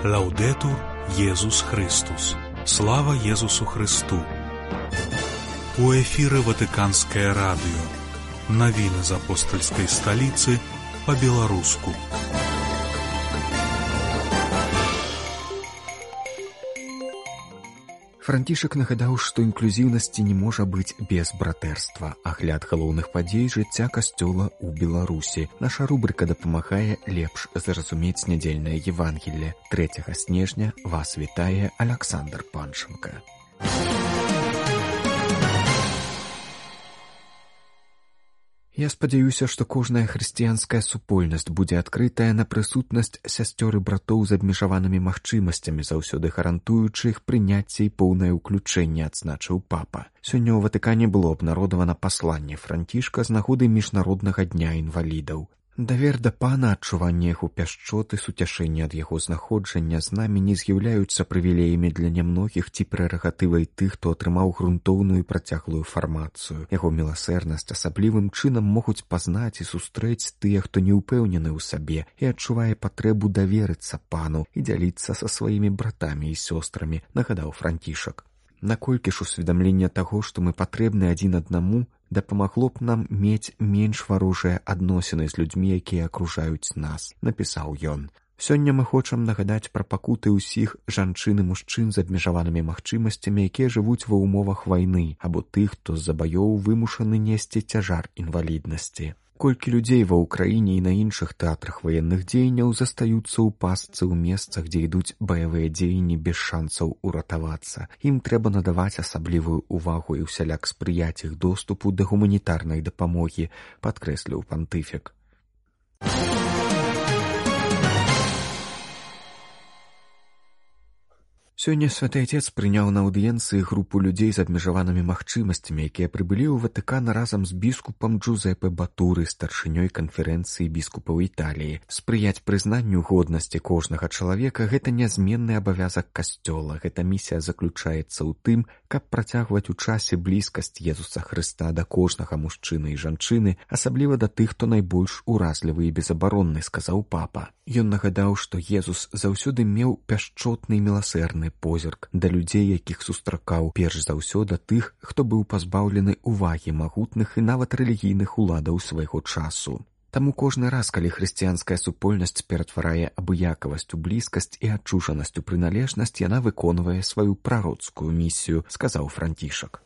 Лаўдэтур Езус Христус. Слава Езусу Христу. У эфіры Ватыканскае радыё. Навіны з апостальскай сталіцы па-беларуску. Францішак нагадаў, што інклюзіўнасці не можа быць без братэрства. Агляд галоўных падзей жыцця касцёла ў Беларусі. Наша рубрыка дапамагае лепш зразумець нядзельнае Евангелле. 3 снежня вас вітае Аляксандр Панченка. Я спадзяюся, што кожная хрысціянская супольнасць будзе адкрытая на прысутнасць сясцёр і братоў з абмежаванымі магчымасцямі, заўсёды гарантуючы іх прыняцце і поўнае ўключэнне, адзначыў папа. Сёння ў Ватыкане было абнародавана пасланне Францішка з нагоды міжнароднага дня інвалідаў. Давер да пана, адчуванне яго пяшчоты, суцяшэнне ад яго знаходжання з намі не з'яўляюцца прывілеямі для нямногіх ці прэрагатывай тых, хто атрымаў грунтоўную і працяглую фармацыю. Яго міласэрнасць асаблівым чынам могуць пазнаць і сустрэць тыя, хто не ўпэўнены ў сабе і адчувае патрэбу даверыцца пану і дзяліцца са сваімі братамі і сёстрамі, нагадаў Францішак. Наколькі ж усведамленне таго, што мы патрэбны адзін аднаму, дапамагло б нам мець менш варожыя адносіны з людзьмі, якія акружаюць нас, напісаў ён. Сёння мы хочам нагадаць пра пакуты ўсіх жанчын і мужчын з абмежаванымі магчымасцямі, якія жывуць ва ўмовах вайны, або тых, хто з-за баёў вымушаны несці цяжар інваліднасці. Колькі людзей ва ўкраіне і на іншых тэатрах ваенных дзеянняў застаюцца ў пастцы ў месцах, дзе ідуць баявыя дзеянні без шансаў уратавацца. Ім трэба надаваць асаблівую ўвагу і ўсяляк спрыяць іх доступу да гуманітарнай дапамогі, падкрэсліў пантыфік. Сёння Святы Отец прыняў на аўдыенцыі групу людзей з абмежаванымі магчымасцямі, якія прыбылі ў Ватыкан разам з біскупам Джузепе Батуры, старшынёй канферэнцыі біскупаў Італіі. Спрыяць прызнанню годнасці кожнага чалавека – гэта нязменны абавязак касцёла. Гэта місія заключаецца ў тым, каб працягваць у часе блізкасць Езуса Хрыста да кожнага мужчыны і жанчыны, асабліва да тых, хто найбольш уразлівы і безабаронны, сказаў папа. Ён нагадаў, што Езус заўсёды меў пяшчотны і міласэрны позірк да людзей, якіх сустракаў, перш за ўсё да тых, хто быў пазбаўлены ўвагі магутных і нават рэлігійных уладаў свайго часу. Таму кожны раз, калі хрысціянская супольнасць ператварае абыякавасць у блізкасць і адчужанасць у прыналежнасць, яна выконвае сваю прароцкую місію, сказаў Францішак.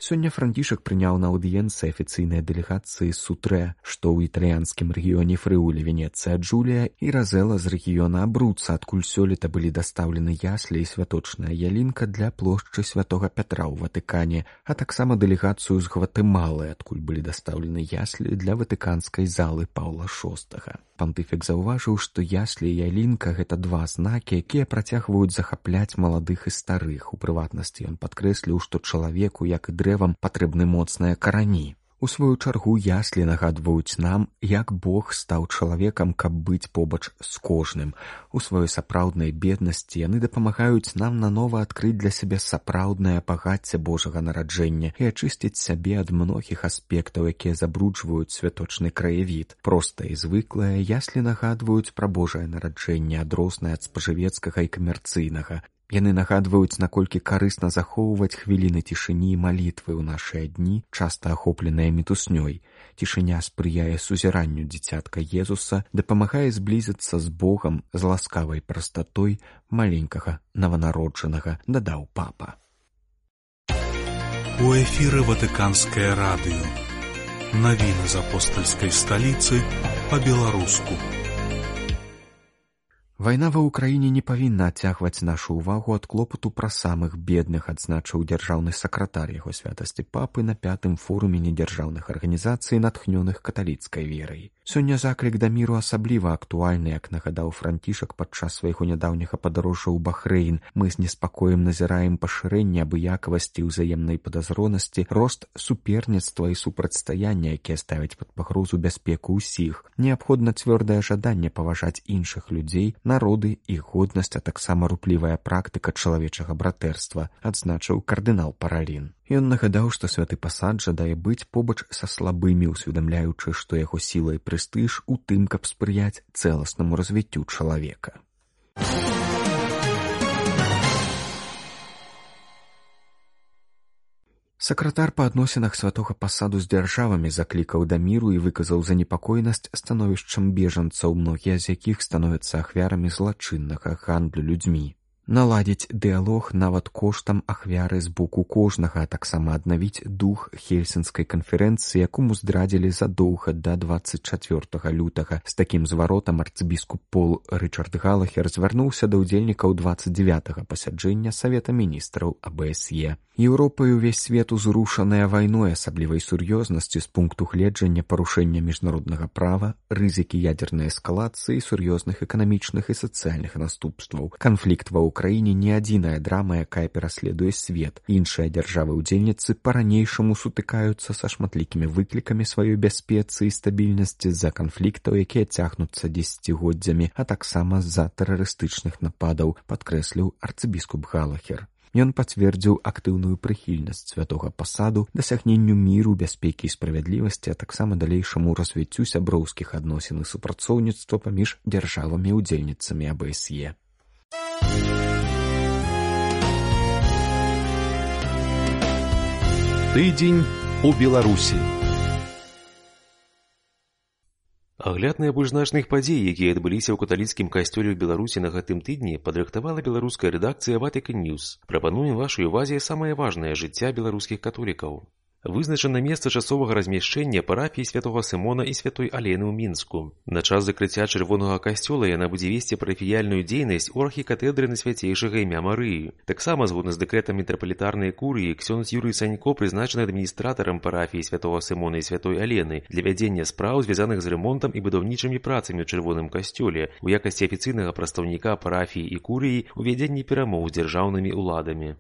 Сёння Францішак прыняў на аўдыенцыі афіцыйныя дэлегацыі з Сутрэ, што ў італьянскім рэгіёне Фрыулі, Венецыя, Джулія і Разела з рэгіёна Абруца, адкуль сёлета былі дастаўлены яслі і святочная ялінка для плошчы Святога Пятра ў Ватыкане, а таксама дэлегацыю з Гватэмалы, адкуль былі дастаўлены яслі для ватыканскай залы Паўла VI. Пантыфік заўважыў, што яслі і ялінка – гэта два знакі, якія працягваюць захапляць маладых і старых. У прыватнасці ён падкрэсліў, што чалавеку, як і дрэвам, патрэбны моцныя карані. У сваю чаргу яслі нагадваюць нам, як Бог стаў чалавекам, каб быць побач з кожным. У сваёй сапраўднай беднасці яны дапамагаюць нам нанова адкрыць для сябе сапраўднае багацце Божага нараджэння і ачысціць сябе ад многіх аспектаў, якія забруджваюць святочны краявід. Простае і звыклае, яслі нагадваюць пра Божае нараджэнне, адрознае ад спажывецкага і камерцыйнага. Яны нагадваюць, наколькі карысна захоўваць хвіліны цішыні і малітвы ў нашыя дні, часта ахопленыя мітуснёй. Цішыня спрыяе сузіранню дзіцятка Езуса, дапамагае зблізіцца з Богам з ласкавай прастатой маленькага нованароджанага, дадаў папа. У эфіры Ватыканскае радыё. Навіны з апостальскай сталіцы па-беларуску. Вайна ва ўкраіне не павінна адцягваць нашу ўвагу ад клопату пра самых бедных, адзначыў дзяржаўны сакратар яго святасці папы на 5-м форуме недзяржаўных арганізацый, натхнёных каталіцкай верай. Сёння заклік да міру асабліва актуальны, як нагадаў Францішак падчас свайго нядаўняга падарожжа ў Бахрэйн. Мы з неспакоем назіраем пашырэнне абыякавасці і ўзаемнай падазронасці, рост суперніцтва і супрацьстаяння, якія ставяць пад пагрозу бяспеку ўсіх. Неабходна цвёрдае жаданне паважаць іншых людзей, народы, іх годнасць, а таксама руплівая практыка чалавечага братэрства, адзначыў кардынал Паралін. Ён нагадаў, што святы пасад жадае быць побач са слабымі, усведамляючы, што яго сіла і прэстыж у тым, каб спрыяць цэласнаму развіццю чалавека. Сакратар па адносінах святога пасаду з дзяржавамі заклікаў да міру і выказаў занепакоенасць становішчам бежанцаў, многія з якіх становяцца ахвярамі злачыннага гандлю людзьмі. Наладзіць дыялог нават коштам ахвяры з боку кожнага, а таксама аднавіць дух Хельсінскай канферэнцыі, якому здрадзілі задоўга да 24 лютага. З такім зваротам арцыбіскуп Пол Рычард Галахер звярнуўся да ўдзельнікаў 29-га пасяджэння Савета міністраў АБСЕ. Еўропа і ўвесь свет узрушаная вайной асаблівай сур'ёзнасці з пункту гледжання парушэння міжнароднага права, рызыкі ядзернай эскалацыі, сур'ёзных эканамічных і сацыяльных наступстваў. Канфлікт ва ўкраіне не адзіная драма, якая пераследуе свет. Іншыя дзяржавы-ўдзельніцы па-ранейшаму сутыкаюцца са шматлікімі выклікамі сваёй бяспецы і стабільнасці з-за канфліктаў, якія цягнуцца дзесяцігоддзямі, а таксама з-за тэрарыстычных нападаў, падкрэсліў арцыбіскуп Галахер. Ён пацвердзіў актыўную прыхільнасць святога пасаду дасягненню міру, бяспекі і справядлівасці, а таксама далейшаму развіццю сяброўскіх адносін і супрацоўніцтва паміж дзяржавамі-ўдзельніцамі АБСЕ. Тыдзень у Беларусі. Агляд найбольш значных падзей, якія адбыліся ў каталіцкім касцёле ў Беларусі на гэтым тыдні, падрыхтавала беларуская рэдакцыя Vatican News. Прапануем вашай увазе самае важнае жыцця беларускіх католікаў. Вызначана месца часовага размяшчэння парафіі святога Сымона і святой Алены ў Мінску. На час закрыцця чырвонага касцёла яна будзе весці парафіяльную дзейнасць у архікатэдры на свяцейшага імя Марыі. Таксама, згодна з дэкрэтам мітрапалітарнай курыі, ксёндз Юрый Санько прызначаны адміністратарам парафіі святога Сымона і святой Алены для вядзення спраў, звязаных з рамонтам і будаўнічымі працамі ў чырвоным касцёле, у якасці афіцыйнага прадстаўніка парафіі і курыі ў вядзенні перамоў з дзяржаўнымі ўладамі.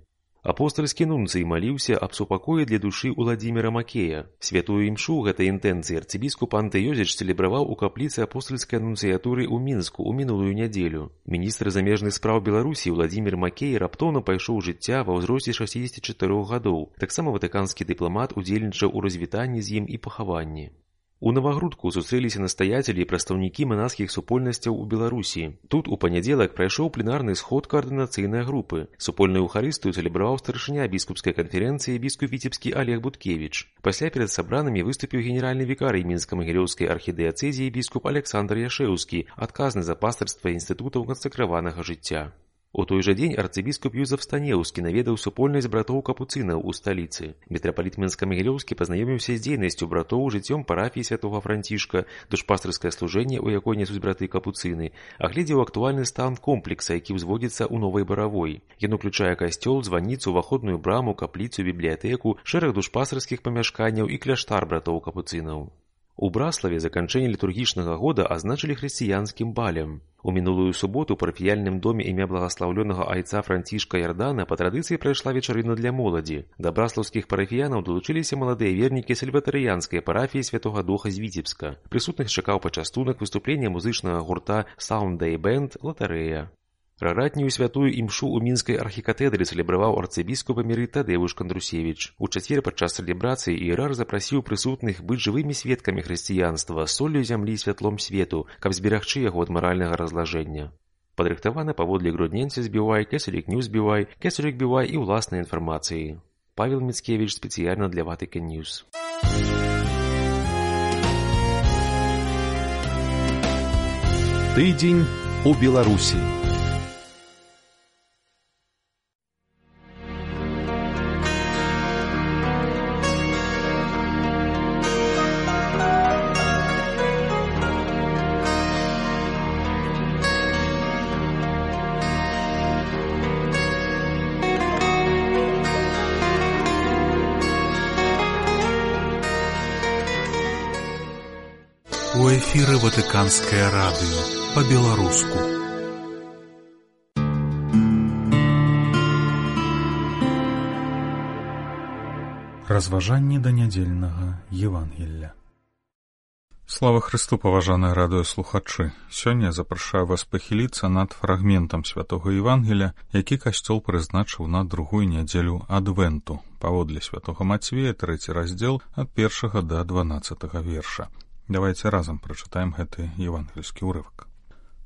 Апостальскі нунцый маліўся аб супакоі для душы Уладзіміра Макея. Святую імшу гэтай інтэнцыі арцыбіскуп Антыёзіч цэлебраваў у капліцы апостальскай нунцыятуры ў Мінску ў мінулую нядзелю. Міністр замежных спраў Беларусі Уладзімір Макей раптоўна пайшоў жыцця ва ўзросце 64 гадоў. Таксама ватыканскі дыпламат удзельнічаў у развітанні з ім і пахаванні. У Навагрудку сустрэліся настаяцелі і прадстаўнікі манасхіх супольнасцяў у Беларусі. Тут у панядзелак прайшоў пленарны сход каардынацыйнай групы. Супольную эўхарыстыю цэлебраваў старшыня біскупскай канферэнцыі біскуп Віцебскі Олег Буткевіч. Пасля перад сабранымі выступіў генеральны вікарый мінска-магілёўскай архідыяцэзіі біскуп Александр Яшэўскі, адказны за пастырства інстытутаў кансакраванага жыцця. У той жа дзень арцыбіскуп Юзаф Станеўскі наведаў супольнасць братоў капуцынаў у сталіцы. Мітрапаліт Мінска-Магілёўскі пазнаёміўся з дзейнасцю братоў, жыццём парафіі святога Францішка, душпастырскае служэнне, у якой нясуць браты капуцыны, агледзеў актуальны стан комплекса, які ўзводзіцца ў Новай Баравой. Ён уключае касцёл, званіцу, уваходную браму, капліцу, бібліятэку, шэраг душпастырскіх памяшканняў і кляштар братоў капуцынаў. У Браславе заканчэнне літургічнага года азначылі хрысціянскім балем. У мінулую суботу ў парафіяльным доме імя благаслаўлёнага айца Францішка Ярдана па традыцыі прайшла вечарына для моладзі. Да браслаўскіх парафіянаў далучыліся маладыя вернікі сальватарыянскай парафіі святога Духа з Віцебска. Прысутных чакаў пачастунак, выступлення музычнага гурта Sound Day Band, латарэя. Раратнюю святую імшу ў мінскай архікатэдры цэлебраваў арцыбіскуп эмерыт Тадзеуш Кандрусевіч. У чацвер падчас цэлебрацыі іерар запрасіў прысутных быць жывымі сведкамі хрысціянства, соллю зямлі і святлом свету, каб зберагчы яго ад маральнага разлажэння. Падрыхтавана паводле Грудненця збівай, Кесарік Ньюс збівай, Кесарік бівай і ўласнай інфармацыі. Павел Міцкевіч спецыяльна для Vatican News. Тыдзень у Беларусі. У эфіры Ватыканскае радыё па-беларуску. Разважанні да нядзельнага Евангелля. Слава Христу, паважаныя радыёслухачы! Сёння я запрашаю вас пахіліцца над фрагментам святога Евангелія, які касцёл прызначыў на другую нядзелю адвенту, паводле святога Мацвея, 3 раздзел ад 1 да 12 верша. Давайте разам прачытаем гэты евангельскі ўрывак.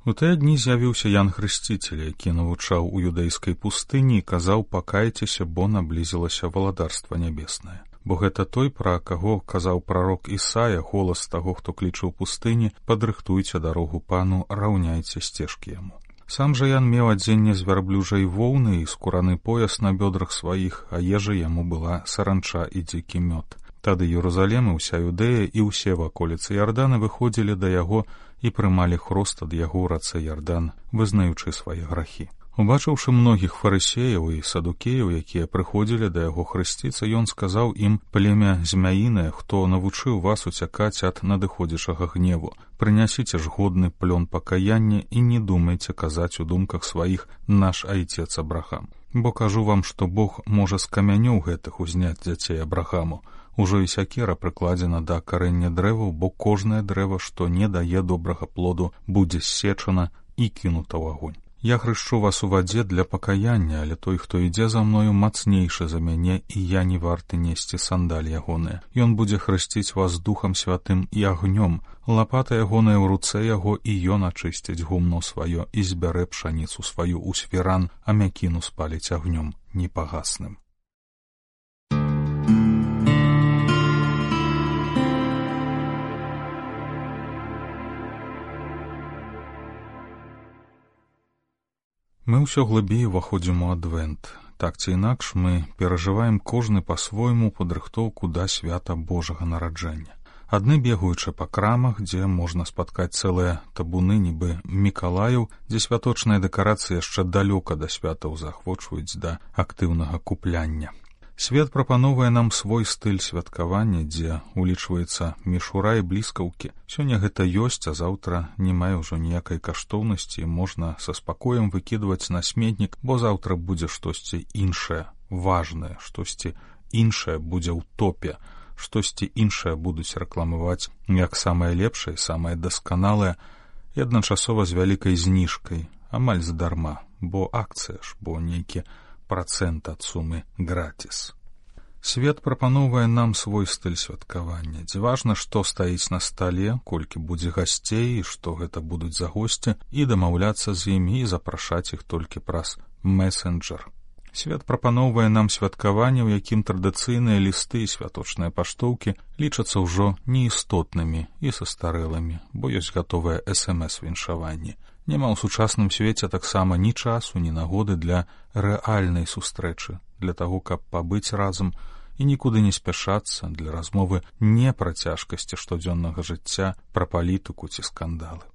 У тыя дні з'явіўся Ян Хрысціцель, які навучаў у юдэйскай пустыні і казаў: «Пакайцеся, бо наблізілася валадарства нябеснае». Бо гэта той, пра каго казаў прарок Ісая, голас таго, хто кліча ў пустыні: «Падрыхтуйце дарогу пану, раўняйце сцежкі яму». Сам жа Ян меў адзенне з вярблюжай воўны і скураны пояс на бёдрах сваіх, а ежа яму была саранча і дзікі мёд. Тады Єрусалем і ўся Юдэя і ўсе ваколіцы Ярдана выходзілі да яго і прымалі хрост ад яго ў рацэ Ярдан, вызнаючы свае грахі. Убачыўшы многіх фарысеяў і садукеяў, якія прыходзілі да яго хрысціцца, ён сказаў ім: «Племя змяінае, хто навучыў вас уцякаць ад надыходзячага гневу? Прынясіце ж годны плён пакаяння і не думайце казаць у думках сваіх: наш айцец Абрахам. Бо кажу вам, што Бог можа з камянёў гэтых узняць дзяцей Абрахаму. Ужо і сякера прыкладзена да карэння дрэваў, бо кожнае дрэва, што не дае добрага плоду, будзе ссечана і кінута ў агонь. Я хрышчу вас у вадзе для пакаяння, але той, хто ідзе за мною, мацнейшы за мяне, і я не варты несці сандаль ягоныя. Ён будзе хрысціць вас Духам Святым і агнём. Лапата ягоная ў руцэ яго, і ён ачысціць гумно сваё і збярэ пшаніцу сваю ў свіран, а мякіну спаліць агнём непагасным». Мы ўсё глыбей уваходзім у адвент. Так ці інакш мы перажываем кожны па-свойму падрыхтоўку да свята Божага нараджэння. Адны бегаючы па крамах, дзе можна спаткаць цэлыя табуны нібы Мікалаяў, дзе святочныя дэкарацыі яшчэ далёка да святаў заахвочваюць да актыўнага купляння. Свет прапановвае нам свой стыль святкавання, дзе улічваецца мішура і бліскаўкі. Сёння гэта ёсць, а заўтра не мае ўжо ніякай каштоўнасці, можна са спакоем выкідваць на сметнік, бо заўтра будзе штосьці іншае, важнае, штосьці іншае будзе ў топе, штосьці іншае будуць рэкламаваць як самае лепшае, самае дасканалае, і адначасова з вялікай зніжкай, амаль задарма, бо акцыя ж, бо нейкі працэнт ад сумы гратіс. Свет прапановвае нам свой стыль святкавання, дзе важна, што стаіць на стале, колькі будзе гасцей, і што гэта будуць за госці, і дамаўляцца з імі і запрашаць іх толькі праз месенджер. Свет прапановвае нам святкаванне, у якім традыцыйныя лісты і святочныя паштоўкі лічацца ўжо неістотнымі і састарэлымі, бо ёсць гатовыя СМС-віншаванні. Няма ў сучасным свеце таксама ні часу, ні нагоды для рэальнай сустрэчы, для таго, каб пабыць разам і нікуды не спяшацца, для размовы не пра цяжкасці штодзённага жыцця, пра палітыку ці скандалы.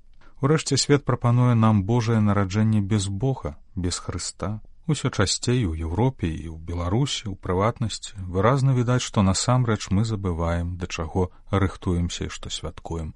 Урэшце свет прапануе нам Божае нараджэнне без Бога, без Хрыста. Усё часцей у Еўропе і ў Беларусі, у прыватнасці, выразна відаць, што насамрэч мы забываем, да чаго рыхтуемся і што святкуем.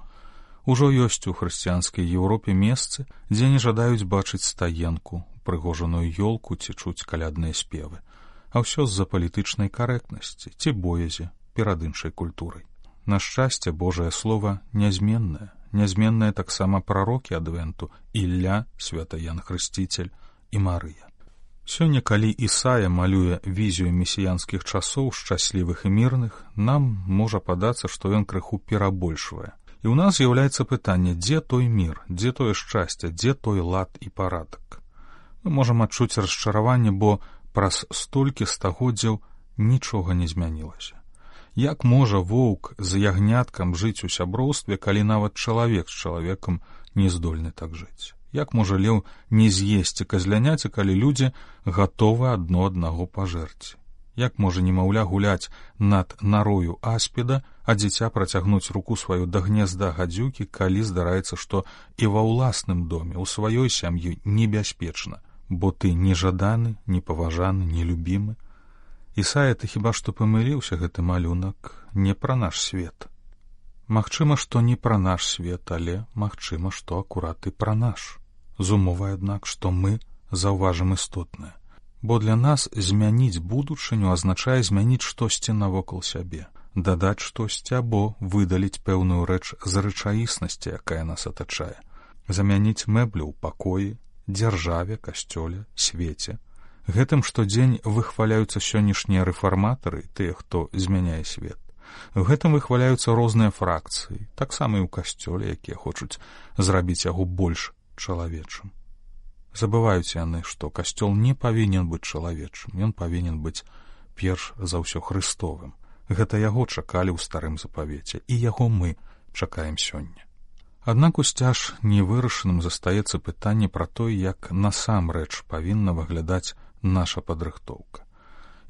Ужо ёсць у хрысціянскай Еўропе месцы, дзе не жадаюць бачыць стаенку, прыгожаную ёлку ці чуць калядныя спевы. А ўсё з-за палітычнай карэктнасці ці боязі перад іншай культурай. На шчасце, Божае Слова нязменнае. Нязменнае таксама прарокі адвенту: Ілля, свята Ян Хрысціцель і Марыя. Сёння, калі Ісая малюе візію месіянскіх часоў, шчаслівых і мірных, нам можа падацца, што ён крыху перабольшвае. І ў нас з'яўляецца пытанне, дзе той мір, дзе тое шчасце, дзе той лад і парадак. Мы можам адчуць расчараванне, бо праз столькі стагоддзяў нічога не змянілася. Як можа воўк з ягняткам жыць у сяброўстве, калі нават чалавек з чалавекам не здольны так жыць? Як можа леў не з'есці казляняці, калі людзі гатовы адно аднаго пажэрці? Як можа немаўля гуляць над нарою аспіда, а дзіця працягнуць руку сваю да гнезда гадзюкі, калі здараецца, што і ва ўласным доме, у сваёй сям'і небяспечна, бо ты нежаданы, непаважаны, нелюбімы? Ісая, ты хіба што памыліўся, гэты малюнак не пра наш свет. Магчыма, што не пра наш свет, але магчыма, што акурат і пра наш. З умовай, аднак, што мы заўважым істотнае. Бо для нас змяніць будучыню азначае змяніць штосьці навокал сябе. дадаць штосьці або выдаліць пэўную рэч з рэчаіснасці, якая нас атачае, замяніць мэблю ў пакоі, дзяржаве, касцёле, свеце. Гэтым штодзень выхваляюцца сённяшнія рэфарматары, тыя, хто змяняе свет. Гэтым выхваляюцца розныя фракцыі, таксама і ў касцёле, якія хочуць зрабіць яго больш чалавечым. Забываюць яны, што касцёл не павінен быць чалавечым, ён павінен быць перш за ўсё хрыстовым. Гэта яго чакалі ў старым запавеце, і яго мы чакаем сёння. Аднак усцяж невырашаным застаецца пытанне пра тое, як насамрэч павінна выглядаць наша падрыхтоўка.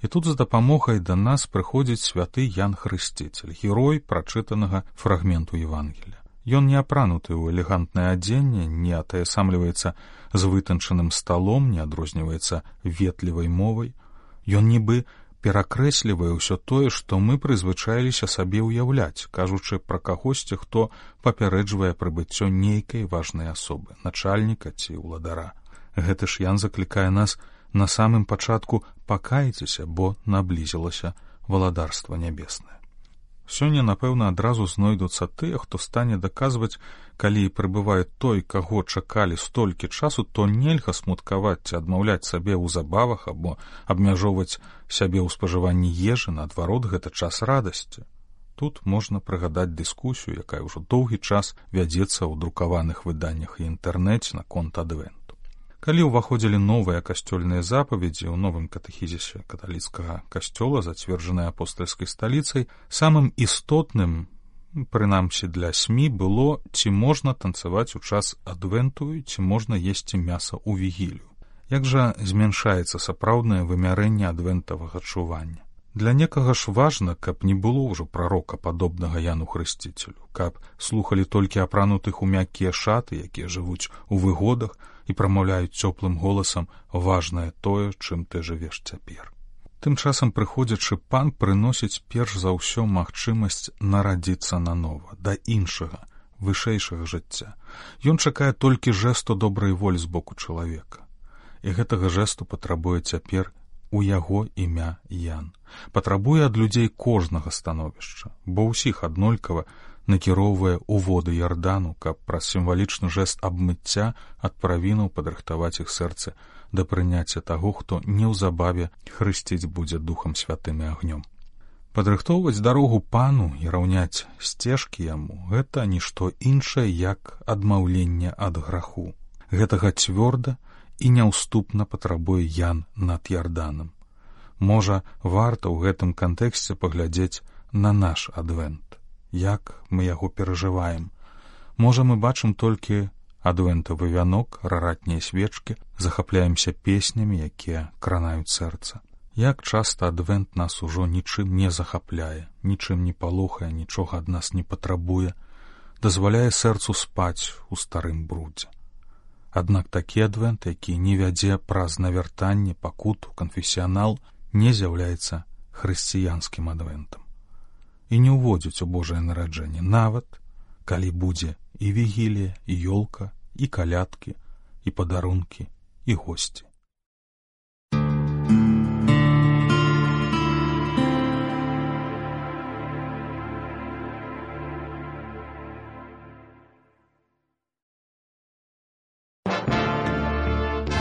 І тут з дапамогай да нас прыходзіць святы Ян Хрысціцель, герой прачытанага фрагменту Евангелія. Ён не апрануты ў элегантнае адзенне, не атаясамліваецца з вытанчаным сталом, не адрозніваецца ветлівай мовай. Ён нібы перакрэслівае ўсё тое, што мы прызвычаіліся сабе ўяўляць, кажучы пра кагосьці, хто папярэджвае прыбыццё нейкай важнай асобы, начальніка ці ўладара. Гэты ж Ян заклікае нас на самым пачатку пакайцеся, бо наблізілася валадарства нябеснае. Сёння, напэўна, адразу знойдуцца тыя, хто стане даказваць, калі прыбывае той, каго чакалі столькі часу, то нельга смуткаваць ці адмаўляць сабе ў забавах або абмяжоўваць сябе ў спажыванні ежы, наадварот, гэта час радасці. Тут можна прыгадаць дыскусію, якая ўжо доўгі час вядзецца ў друкаваных выданнях і інтэрнэце наконт адвенту. Калі ўваходзілі новыя касцёльныя запаведзі ў новым катэхізісе каталіцкага касцёла, зацверджаныя апостальскай сталіцай, самым істотным, прынамсі для СМІ, было, ці можна танцаваць у час адвенту, ці можна есці мяса ў вігілію. Як жа змяншаецца сапраўднае вымярэнне адвентавага чування? Для некага ж важна, каб не было ўжо прарока, падобнага Яну Хрысціцелю, каб слухалі толькі апранутых у мяккія шаты, якія жывуць у выгодах, і прамаўляюць цёплым голасам важнае тое, чым ты жывеш цяпер. Тым часам прыходзячы пан прыносіць перш за ўсё магчымасць нарадзіцца нанова, да іншага, вышэйшага жыцця. Ён чакае толькі жэсту добрай волі з боку чалавека. І гэтага жэсту патрабуе цяпер у яго імя Ян. Патрабуе ад людзей кожнага становішча, бо ўсіх аднолькава накіроўвае ў воды Ярдану, каб праз сімвалічны жэст абмыцця ад правінаў падрыхтаваць іх сэрцы да прыняцця таго, хто неўзабаве хрысціць будзе Духам Святым і агнём. Падрыхтоўваць дарогу пану і раўняць сцежкі яму — гэта нішто іншае, як адмаўленне ад граху. Гэтага цвёрда і няўступна патрабуе Ян над Ярданам. Можа, варта ў гэтым кантэксце паглядзець на наш адвент. Як мы яго перажываем. Можа, мы бачым толькі адвентавы вянок, раратныя свечкі, захапляемся песнямі, якія кранаюць сэрца. Як часта адвент нас ужо нічым не захапляе, нічым не палохае, нічога ад нас не патрабуе, дазваляе сэрцу спаць у старым брудзе. Аднак такі адвент, які не вядзе праз навяртанне, пакуту, канфесіянал, не з'яўляецца хрысціянскім адвентам. І не ўводзіць у Божае нараджэнне, нават калі будзе і вігілія, і ёлка, і калядкі, і падарункі, і госці.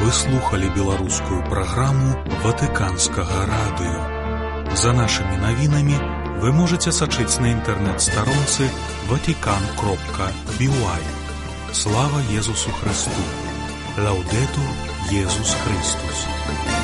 Вы слухали беларускую праграму Ватыканскага радыё. За нашымі навінамі вы можете сачыць на інтэрнэт-старонцы vatican.by. Слава Езусу Христу! Лаудетур Езус Христус!